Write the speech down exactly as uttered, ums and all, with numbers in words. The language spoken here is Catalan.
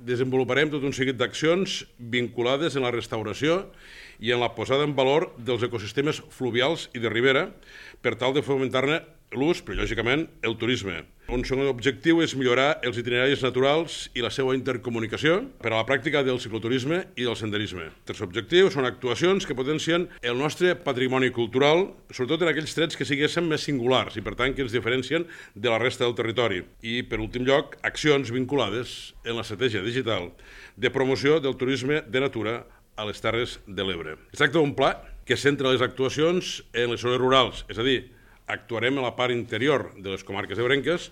Desenvoluparem tot un seguit d'accions vinculades en la restauració i en la posada en valor dels ecosistemes fluvials i de ribera per tal de fomentar-ne l'ús, però lògicament el turisme. Un segon objectiu és millorar els itineraris naturals i la seva intercomunicació per a la pràctica del cicloturisme i del senderisme. El tercer objectiu són actuacions que potencien el nostre patrimoni cultural, sobretot en aquells trets que siguessin més singulars i per tant que ens diferencien de la resta del territori. I per últim lloc, accions vinculades en l'estratègia digital de promoció del turisme de natura a les Terres de l'Ebre. Es tracta d'un pla que centra les actuacions en les zones rurals, és a dir, actuarem a la part interior de les comarques ebrenques